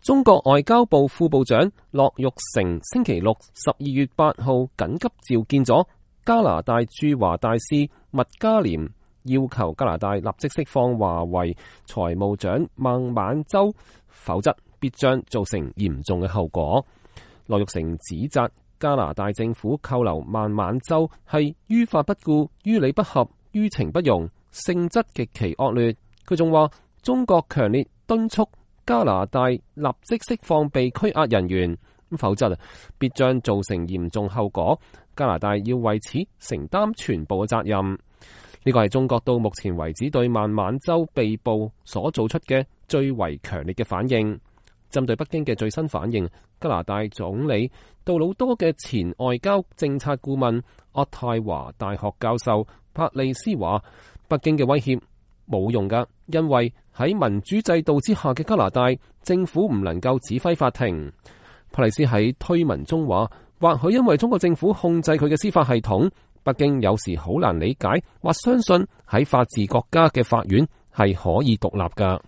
中國外交部副部長樂玉成星期六12月8號緊急召見咗加拿大駐華大使麥嘉廉，要求加拿大立即釋放華為財務長孟晚舟，否則必將造成嚴重嘅後果。樂玉成指責加拿大政府扣留孟晚舟係於法不顧、於理不合、於情不容，性質極其惡劣。佢仲話中國強烈敦促加拿大立即釋放被拘押人員，否則必將造成嚴重後果。加拿大要為此承擔全部嘅責任。呢個係中國到目前為止對孟晚舟被捕所做出嘅最為強烈嘅反應。針對北京嘅最新反應，加拿大總理杜魯多嘅前外交政策顧問渥太華大學教授帕利斯話：北京嘅威脅冇用㗎，因為喺民主制度之下嘅加拿大政府唔能夠指揮法庭。帕利斯喺推文中話：或許因為中國政府控制佢嘅司法系統，北京有時好難理解或相信喺法治國家嘅法院係可以獨立㗎。